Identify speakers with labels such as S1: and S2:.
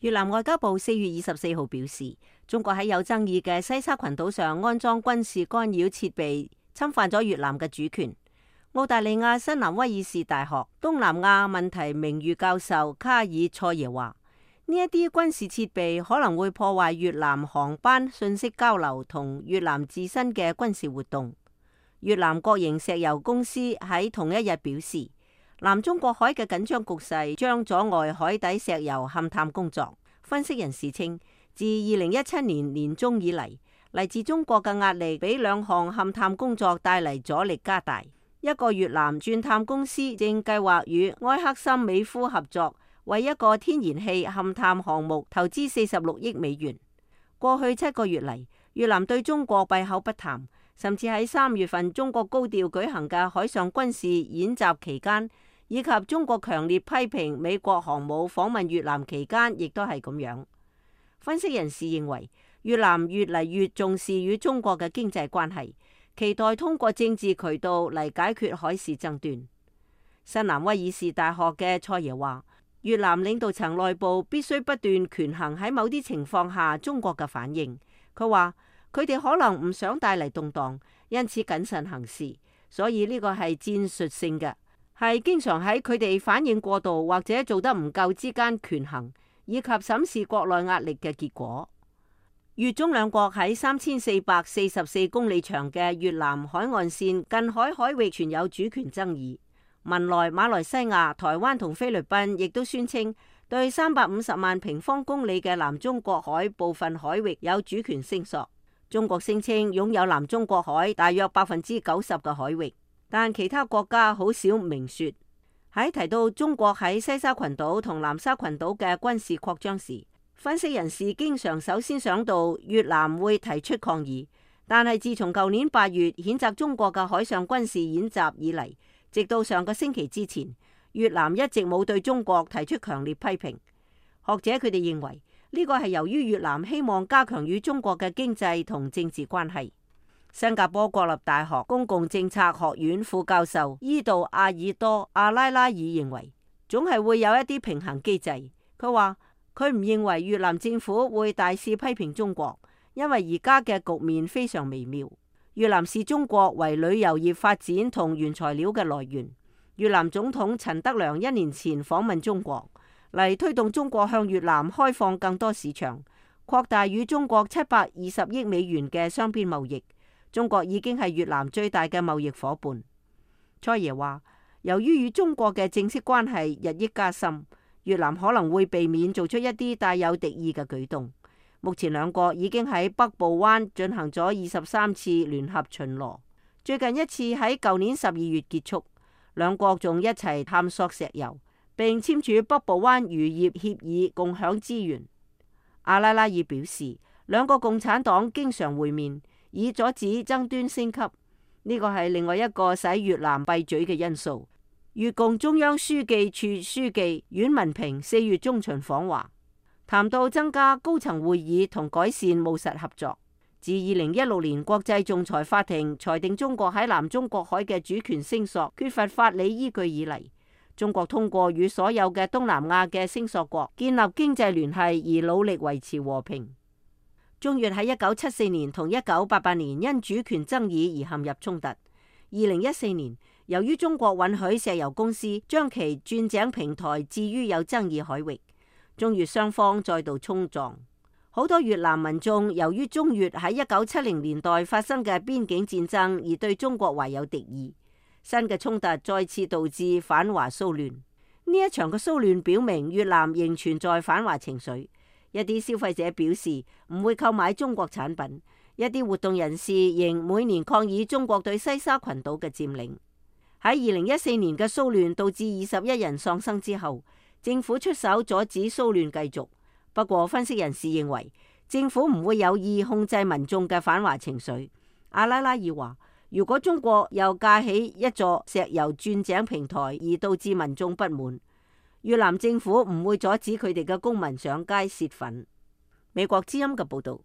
S1: 越南外交部4月24號表示，中國喺有爭議嘅西沙群島上安裝軍事干擾設備，侵犯咗越南嘅主權。澳大利亞新南威爾士大學東南亞問題名譽教授卡爾塞耶話：呢一啲軍事設備可能會破壞越南航班信息交流同越南自身嘅軍事活動。越南國營石油公司喺同一日表示，南中國海嘅緊張局勢將阻礙海底石油勘探工作。分析人士稱，自2017年年中以嚟，嚟自中國嘅壓力俾兩項勘探工作帶嚟阻力加大。一個越南鑽探公司正計劃與埃克森美孚合作，為一個天然氣勘探項目投資46億美元。過去7個月嚟，越南對中國閉口不談，甚至喺3月份中國高調舉行嘅海上軍事演習期間，以及中國強烈批評美國航母訪問越南期間，亦都係咁樣。分析人士認為，越南越嚟越重視與中國嘅經濟關係，期待通過政治渠道嚟解決海事爭端。新南威爾士大學嘅蔡爺話，越南領導層內部必須不斷權衡喺某啲情況下中國嘅反應。佢話佢哋可能唔想帶嚟動盪，因此謹慎行事，所以呢個係戰術性嘅。係經常喺佢哋反應過度或者做得唔夠之間權衡，以及審視國內壓力嘅結果。越中兩國喺3444公里長嘅越南海岸線近海海域存有主權爭議。文萊、馬來西亞、台灣同菲律賓亦都宣稱對350萬平方公里嘅南中國海部分海域有主權聲索。中國聲稱擁有南中國海大約90%嘅海域。但其他國家好少明說。喺提到中國喺西沙群島同南沙群島嘅軍事擴張時，分析人士經常首先想到越南會提出抗議。但係自從舊年8月譴責中國嘅海上軍事演習以嚟，直到上個星期之前，越南一直冇對中國提出強烈批評。學者佢哋認為呢個係由於越南希望加強與中國嘅經濟同政治關係。新加坡國立大學公共政策學院副教授伊杜阿爾多阿拉拉爾認為，總係會有一啲平衡機制。佢話佢唔認為越南政府會大肆批評中國，因為而家嘅局面非常微妙。越南視中國為旅遊業發展同原材料嘅來源。越南總統陳德良1年前訪問中國，嚟推動中國向越南開放更多市場，擴大與中國720億美元嘅雙邊貿易。中國已經係越南最大嘅貿易夥伴。蔡爺話，由於與中國嘅正式關係日益加深，越南可能會避免做出一啲帶有敵意嘅舉動。目前兩國已經喺北部灣進行咗23次聯合巡邏，最近一次喺舊年12月結束。兩國仲一齊探索石油，並簽署北部灣漁業協議，共享資源。阿拉拉爾表示，兩個共產黨經常會面，以阻止爭端升級，呢個係另外一個使越南閉嘴嘅因素。越共中央書記處書記阮文平4月中旬訪華，談到增加高層會議同改善務實合作。自2016年國際仲裁法庭裁定中國喺南中國海嘅主權聲索缺乏法理依據以嚟，中國通過與所有嘅東南亞嘅聲索國建立經濟聯繫而努力維持和平。中越喺1974年同1988年因主權爭議而陷入衝突。2014年，由於中國允許石油公司將其鑽井平台置於有爭議海域，中越雙方再度衝撞。好多越南民眾由於中越喺1970年代發生嘅邊境戰爭而對中國懷有敵意。新嘅衝突再次導致反華騷亂。呢一場嘅騷亂表明越南仍存在反華情緒。一啲消費者表示唔會購買中國產品，一啲活動人士仍每年抗議中國對西沙群島嘅佔領。喺2014年嘅騷亂導致21人喪生之後，政府出手阻止騷亂繼續。不過分析人士認為，政府唔會有意控制民眾嘅反華情緒。阿拉拉爾話，如果中國又架起一座石油鑽井平台而導致民眾不滿，越南政府唔會阻止佢哋嘅公民上街洩憤。美國之音嘅報道。